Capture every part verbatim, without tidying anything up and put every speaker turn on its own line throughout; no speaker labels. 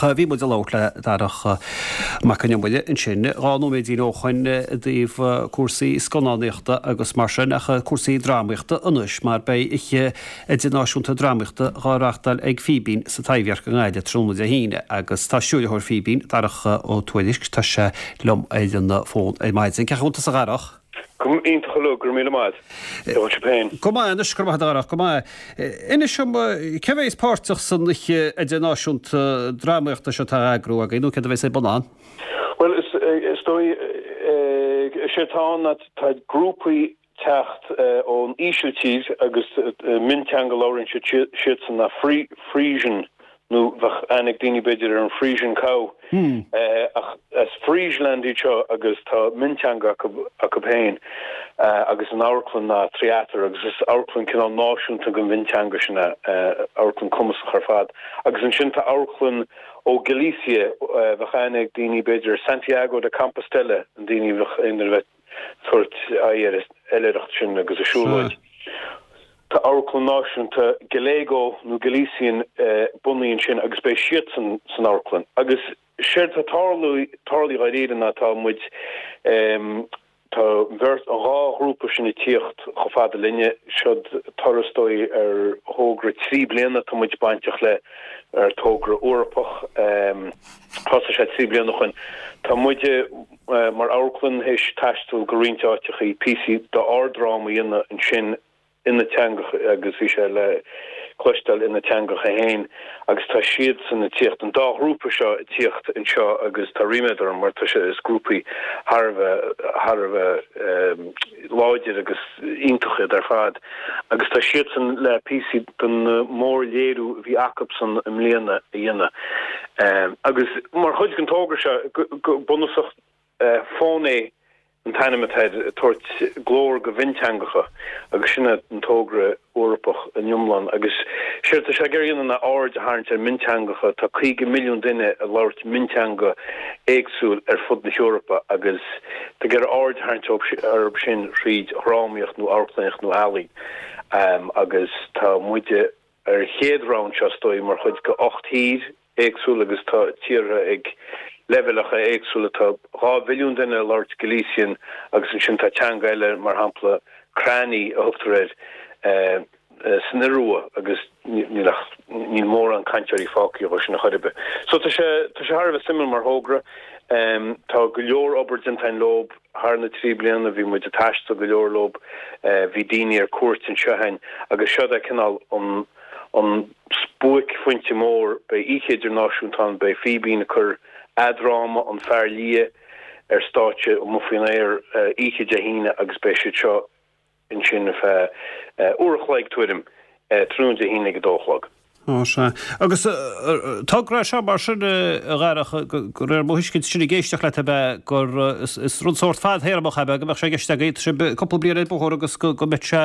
Ach bhí muid ag labhairt le Darach Mac Con Iomaire ansin dhá nóiméidín ó shoin i dtaobh cúrsaí scannánaíochta agus mar sin ach cúrsaí drámaíochta anois mar beidh oíche idirnáisiúnta drámaíochta dhá reáchtáil ag Fíbín sa Taibhdhearc i nGaillimh tráthnóna Dé hAoine agus tá stiúrthóir Fíbín, Darach Ó Tuairisg, tá sé liom ar an bhfón ar maidin. Cén chaoi a bhfuil tusa a Dharach?
Go hiontach uilig, go raibh míle maith. Cén chaoi a bhfuil sibh féin?
Go maith anois, go raibh maith agat a Dharach, go maith. Inis dom, cé a bheas páirteach san oíche idirnáisiúnta drámaíochta seo atá á eagrú agaibh nó céard a bheas ar bun ann?
Bhuel, is dóigh, is é atá ann ná tá grúpaí teacht ón Ísiltír agus mionteanga a labhraíonn siad siadsan ná Frisian nó bheadh aithne ag daoine b'fhéidir ar an Friesian cow ach as Friesland iad seo agus tá mionteanga acu acu féin agus an amharclann ná Tryater agus is amharclann cineál náisiúnta den mhionteanga sin é, amharclann cumasach ar fad. Agus ansin tá amharclann ó Galicia, bheadh aithne ag daoine b'fhéidir ar Santiago de Compostela, an daoine bheadh aon duine a bheith tabhairt aghaidh ar an oilithreacht sin agus an siúlóid. Tá Amharclann Náisiúnta Galego nó Galician bunaithe ansin agus beidh siadsan san amharclann. Agus séard tá tarlaithe dháiríre ná tá muid, tá an bheirt, an dhá ghrúpa sin ag tíocht chomh fada linne. Seod toradh is dóigh ar thogra trí bliana atá muid bainteach le, ar togra Eorpach. Thosaigh sé trí bliana ó shoin. Tá muide. Mar amharclann théis taisteal go roinnt áiteachaí, píosaí d'ár dráma a dhéanamh ansin ina dteangacha agus bhí sé le cloisteáil ina dteangacha féin agus tá siadsan ag tíocht, an dá ghrúpa seo ag tíocht anseo agus tá ríméad orm mar tá sé, is grúpaí thar a bheith, thar a bheith láidir agus iontach iad ar fad agus tá siadsan le píosaí den mórléiriú a bhí acubsan i mbliana a dhéanamh. Agus mar chuid den togra seo, go bunúsach, Fóné an t-ainm atá air, ag tabhairt glór go mhionteangacha agus sin é an togra Eorpach in iomlán. Agus séard atá sé ag iarraidh a dhéanamh ná aird a tharraingt ar mhionteangacha. Tá caoga milliún duine ag labhairt mionteanga éagsúil ar fud na hEorpa agus tá ag iarraidh aird a tharraingt orthu sin thríd dhrámaíocht nó amharclannaíocht nó ealaín. Agus tá muide ar an chéad round seo is dóigh mar chuid de ocht thír éagsúil agus tá tíortha ag leibhéalacha éagsúla. Tá dhá mhilliún duine ag labhairt Galician agus ansin tá teanga eile mar shampla Krani a thugtar air san Iorua agus níl ach níl mórán cainteoirí fágtha dhó sin a chor ar bith. So tá sé tá sé thar a bheith suimiúil mar thogra. Tá go leor obair déanta againn leob thar na trí bliana, bhí muid ag taisteal go leor leob, bhí daoine ar cuairt anseo againn agus seod é cineál an an buaicphointe mór, beidh oíche idirnáisiúnta ann, beidh Fíbín ag cur a dráma An Fear Liath ar stáitse amuigh faoin aer oíche Dé hAoine agus beidh siad seo ansin ar feadh uair a chloig tuairim tráthnóna Dé hAoine ag a dó a chlog.
Ó sea. Agus togra é seo mar sin, a Dharach, de réir mo thuiscint, sin ag éisteacht leat ab ea gur is rud sórt fadthéarmach ab ea go mbeadh sé i gceist agaibh, tá sibh cúpla bliain ar an bhóthar agus go mbeadh sé,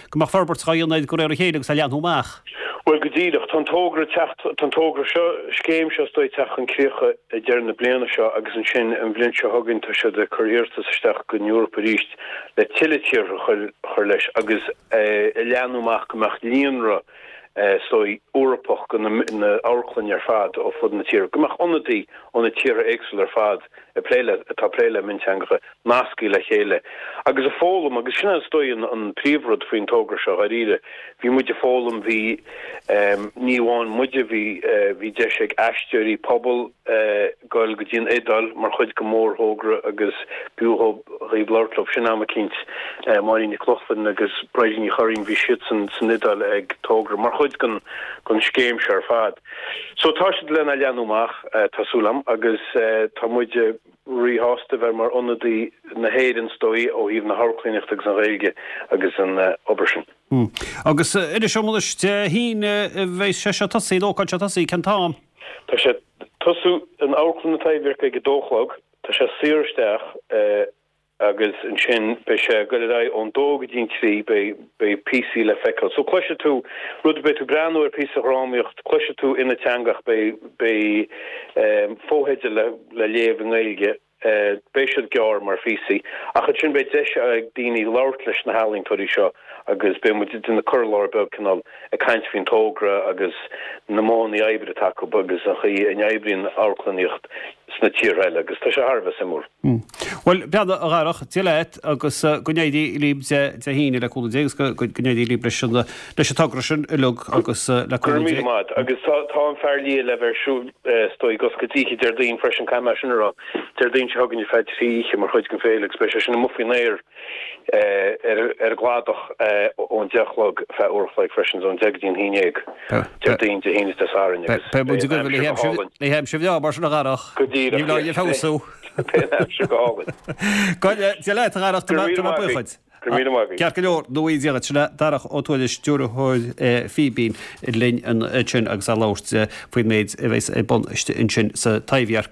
go mbeadh forbairt á dhéanamh air de réir a chéile agus á leathnú amach.
Bhuel, go díreach. Tá an togra ag teacht, tá an togra seo, scéim seo is dóigh ag teacht chun críocha ag deireadh na bliana seo agus ansin an bhliain seo chugainn tá siad ag cur iarratas isteach don Eoraip arís le tuilleadh tíortha a chur leis agus é a leathnú amach go mbeadh líonra is dóigh, Eorpach de na hamharclainn ar fad ó fud na tíre, go mbeadh ionadaí ó na tíortha éagsúla ar fad ag plé le, atá ag plé le mionteangacha, nasctha le chéile agus ag foghlaim agus sin é is dóigh an príomhrud faoin togra seo dháiríre. Bhí muid ag foghlaim, bhí, ní amháin muide, bhí, bhí deis ag aisteoirí pobail goil go dtí an Iodáil mar chuid den mhórthogra agus b'fhiú dhaoibh labhairt leo sin am eicínt, Máirín Nic Lochlainn agus Bridie Ní Churraoin, bhí siadsan san Iodáil ag togra mar chuid den den scéim seo ar fad. So tá siad lena leathnú amach, tá súil agam, agus tá muid ríshásta bheith mar ionadaí na hÉireann is dóigh ó thaobh na hamharclannaíochta agus an Ghaeilge agus an obair sin.
Agus inis dom anois, Dé hAoine a bheidh sé seo tosaí, an ócáid seo tosaí, cén t-am?
Tá sé ag tosú in Amharclann an Taibhdhearc ag a dó a chlog, tá sé saor isteach agus ansin beidh sé ag goil ar aghaidh ón dó go dtí an trí, beidh beidh píosaí le feiceáil. So cloisfidh tú rud, beidh tú ag breathnú ar píosa dhrámaíocht, cloisfidh tú ina teanga ach beidh beidh fotheidil le le léamh i nGaeilge. Beidh siad gearr mar phíosaí, ach ansin beidh deis ag daoine labhairt leis na healaíontóirí seo agus beidh muid ag déanamh cur i láthair beag cineál ag caint faoin togra agus na modhanna oibre atá acu agus an chaoi a n-oibríonn amharclannaíocht sna tíortha eile agus tá sé thar a bheith suimiúil.
Bhuel, beannacht a Dharach, Dia leat agus go n-éirí libh Dé hAoine le cúnamh Dé agus go n-éirí libh leis an leis an togra sin uilig agus le
Go raibh míle maith agus tá tá an Fear Liath le bheith ar siúl is dóigh go oíche Déardaoin freisin caithfidh mé sin a rá. Déardaoin seo chugainn ar feadh trí oíche mar chuid den féile agus beidh sé sin amuigh faoin aer ar ar an gcladach ón deich a chlog feadh uair a chloig freisin ón deich go dtí an haon déag Déardaoin Dé hAoine is Dé Sathairn agus
Beidh muid ag goil le haimsir bhreá mar sin a Dharach.
Go díreach.
Ní bheidh feabhsú.
Beidh an aimsir go hálainn.
Dia leat a Dharach, tá mé buíoch duit.
Go raibh míle maith agat.
Ceart go leor, nó í díreach sin Darach Ó Tuairisg, stiúrthóir Fíbín linn ansin agus ag labhairt faoin méid a bheas ar bun ansin sa Taibhdhearc.